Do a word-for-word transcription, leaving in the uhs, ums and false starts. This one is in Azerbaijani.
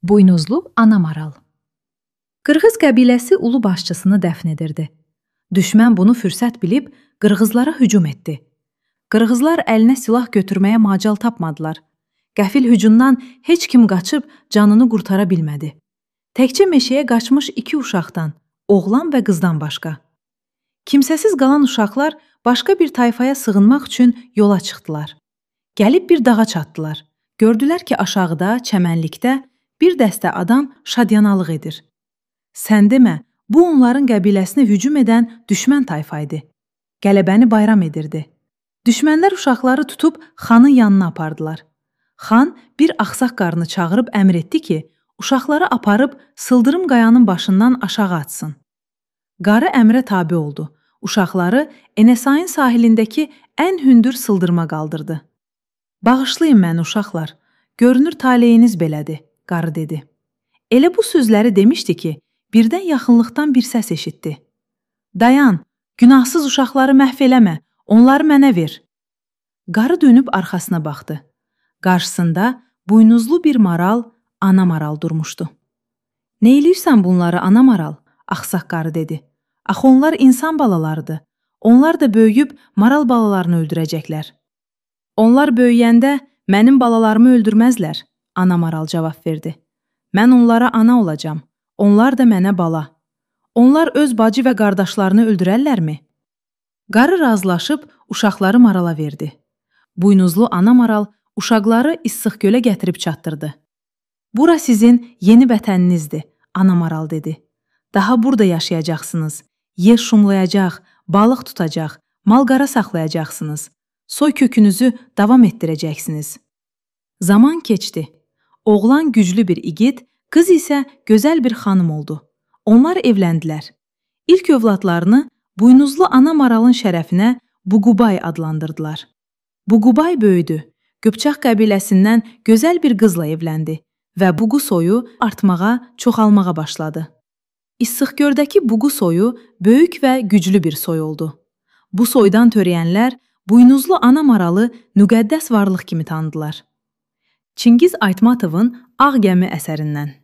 Buynuzlu ana maral. Qırğız qəbiləsi ulu başçısını dəfn edirdi. Düşmən bunu fürsət bilib qırğızlara hücum etdi. Qırğızlar əlinə silah götürməyə macal tapmadılar. Qəfil hücumdan heç kim qaçıb canını qurtara bilmədi. Təkcə meşəyə qaçmış iki uşaqdan, oğlan və qızdan başqa. Kimsəsiz qalan uşaqlar başqa bir tayfaya sığınmaq üçün yola çıxdılar. Gəlib bir dağa çatdılar. Gördülər ki, aşağıda, çəmənlikdə bir dəstə adam şadyanalıq edir. Sən demə, bu onların qəbiləsinə hücum edən düşmən tayfa idi. Qələbəni bayram edirdi. Düşmənlər uşaqları tutub xanın yanına apardılar. Xan bir axsaq qarını çağırıb əmr etdi ki, uşaqları aparıb sıldırım qayanın başından aşağı atsın. Qarı əmrə tabe oldu. Uşaqları Enesayın sahilindəki ən hündür sıldırıma qaldırdı. Bağışlayın məni uşaqlar, görünür taleyiniz belədir, qarı dedi. Elə bu sözləri demişdi ki, birdən yaxınlıqdan bir səs eşitdi. Dayan, günahsız uşaqları məhv eləmə, onları mənə ver. Qarı dönüb arxasına baxdı. Qarşısında buynuzlu bir maral, ana maral durmuşdu. Nə eləyirsən bunları, ana maral? Axsaq qarı dedi. Axı onlar insan balalarıdır. Onlar da böyüyüb maral balalarını öldürəcəklər. Onlar böyüyəndə mənim balalarımı öldürməzlər, ana maral cavab verdi. Mən onlara ana olacam, onlar da mənə bala. Onlar öz bacı və qardaşlarını öldürərlərmi? Qarı razılaşıb uşaqları marala verdi. Buynuzlu ana maral uşaqları İssıq gölə gətirib çatdırdı. Bura sizin yeni vətəninizdir, ana maral dedi. Daha burada yaşayacaqsınız, yer şumlayacaq, balıq tutacaq, mal-qara saxlayacaqsınız. Soy kökünüzü davam etdirəcəksiniz. Zaman keçdi. Oğlan güclü bir igid, qız isə gözəl bir xanım oldu. Onlar evləndilər. İlk övladlarını buynuzlu ana maralın şərəfinə Buqubay adlandırdılar. Buqubay böyüdü. Qıpçaq qəbiləsindən gözəl bir qızla evləndi və Buqu soyu artmağa, çoxalmağa başladı. İssıqgöldəki Buqu soyu böyük və güclü bir soy oldu. Bu soydan törəyənlər buynuzlu ana maralı müqəddəs varlıq kimi tanıdılar. Çingiz Aytmatovun Ağ gəmi əsərindən.